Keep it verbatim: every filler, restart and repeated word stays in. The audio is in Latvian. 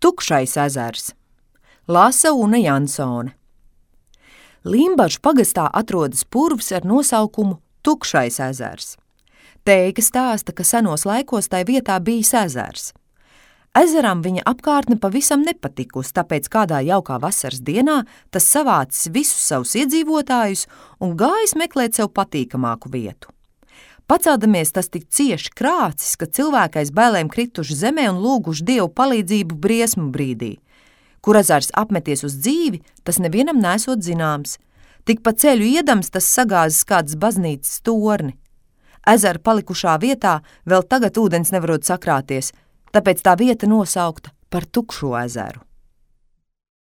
Tukšais ezers. Lasa Una Jansone. Limbažu pagastā atrodas purvs ar nosaukumu Tukšais ezers. Teiga stāsta, ka senos laikos tai vietā bijis ezers. Ezeram viņa apkārtne pavisam nepatikusi, tāpēc kādā jaukā vasaras dienā tas savācis visus savus iedzīvotājus un gājis meklēt sev patīkamāku vietu. Paceldamies tas tik cieši krācis, ka cilvēki aiz bailēm krituši zemē un lūguši Dievu palīdzību briesmu brīdī. Kur ezers apmeties uz dzīvi, tas nevienam nesot zināms. Tik pa ceļu iedams tas sagāzis kādas baznīcas torni. Ezera palikušā vietā vēl tagad ūdens nevarot sakrāties, tāpēc tā vieta nosaukta par Tukšo ezeru.